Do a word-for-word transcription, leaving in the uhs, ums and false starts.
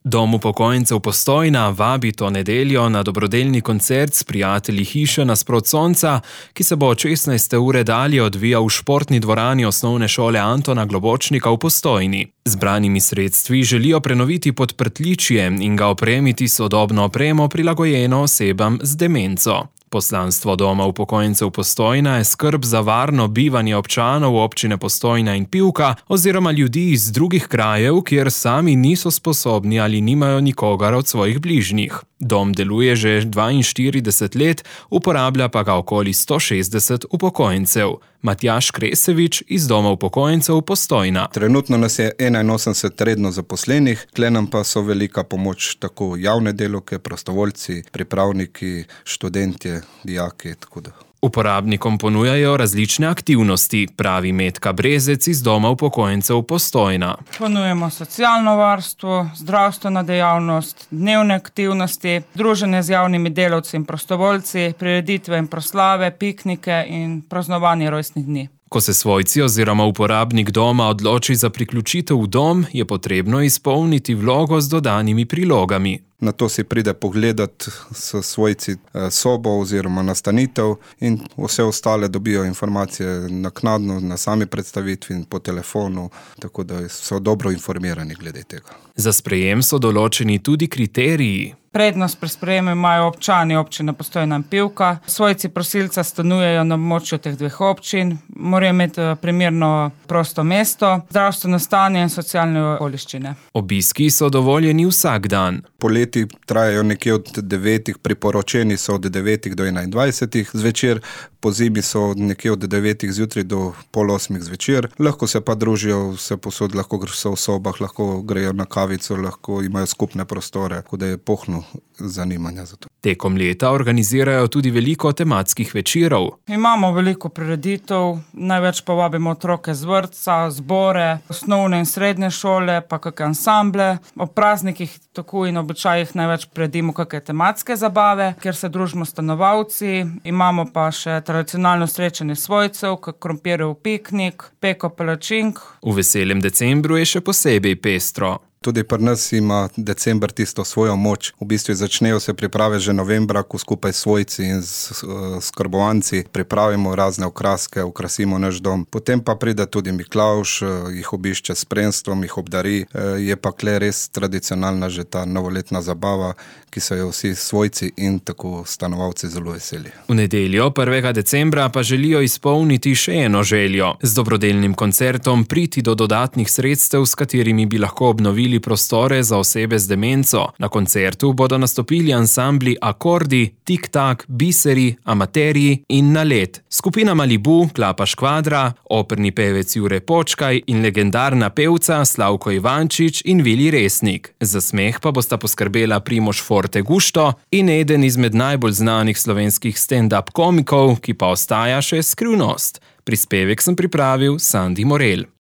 Dom upokojencev Postojna vabi to nedeljo na dobrodelni koncert s prijatelji hiše nasprot sonca, ki se bo od šestnajste ure dalje odvijal v športni dvorani osnovne šole Antona Globočnika v Postojni. Zbranimi sredstvi želijo prenoviti podprtličje in ga opremiti s sodobno opremo prilagojeno osebam z demenco. Poslanstvo Doma upokojencev Postojna je skrb za varno bivanje občanov občine Postojna in Pivka oziroma ljudi iz drugih krajev, kjer sami niso sposobni ali nimajo nikogar od svojih bližnjih. Dom deluje že dvainštirideset let, uporablja pa ga okoli sto šestdeset upokojencev. Matjaž Kresevič iz Doma upokojencev Postojna. Trenutno nas je enainosemdeset redno zaposlenih, tle nam pa so velika pomoč tako javne delavke, prostovoljci, pripravniki, študentje, dijaki, tako da. Uporabnikom ponujajo različne aktivnosti, pravi Metka Brezec iz Doma upokojencev Postojna. Ponujemo socialno varstvo, zdravstvena dejavnost, dnevne aktivnosti, druženje z javnimi delavci in prostovoljci, prireditve in proslave, piknike in praznovanje rojstnih dni. Ko se svojci oziroma uporabnik doma odloči za priključitev v dom, je potrebno izpolniti vlogo z dodanimi prilogami. Na to si pride pogledat s svojci sobo oziroma nastanitev in vse ostale dobijo informacije naknadno na sami predstavitvi in po telefonu, tako da so dobro informirani glede tega. Za sprejem so določeni tudi kriteriji. Prednost pri sprejemu imajo občani občine Postojna in Pivka. Svojci prosilca stanujejo na območju teh dveh občin, morajo imeti primerno prosto mesto, zdravstveno stanje in socialne okoliščine. Obiski so dovoljeni vsak dan. Poleti trajajo nekje od devetih, priporočeni so od devetih do enaindvajsetih zvečer, po zimi so nekje od devetih zjutraj do pol osmih zvečer. Lahko se pa družijo vse posod, lahko so v sobah, lahko grejo na kavico, lahko imajo skupne prostore, tako da je pohno zanimanja za to. Tekom leta organizirajo tudi veliko tematskih večerov. Imamo veliko prireditev, največ pa vabimo otroke z vrtca, zbore, osnovne in srednje šole, pa kakšne ansamble. Ob praznikih tako in običajih največ priredimo kakšne tematske zabave, kjer se družimo stanovalci. Imamo pa še tradicionalno srečanje svojcev, kak krompirjev piknik, peko palačink. V veselem decembru je še posebej pestro. Tudi pri nas ima december tisto svojo moč. V bistvu začnejo se priprave že novembra, ko skupaj s svojci in s skrbovanci pripravimo razne okraske, okrasimo naš dom. Potem pa pride tudi Miklavž, jih obišče s spremstvom, jih obdari. Je pa kle res tradicionalna že ta novoletna zabava, ki so jo vsi svojci in tako stanovalci zelo veseli. V nedeljo prvega decembra pa želijo izpolniti še eno željo. Z dobrodelnim koncertom priti do dodatnih sredstev, s katerimi bi lahko obnovili prostore za osebe z demenco. Na koncertu bodo nastopili ansambli Akordi, Tik Tak, Biseri, Amaterji in Nalet. Skupina Malibu, Klapa Škvadra, operni pevec Jure Počkaj in legendarna pevca Slavko Ivančič in Vili Resnik. Za smeh pa bosta poskrbela Primož Forte Gusto in eden izmed najbolj znanih slovenskih stand-up komikov, ki pa ostaja še skrivnost. Prispevek sem pripravil Sandi Morel.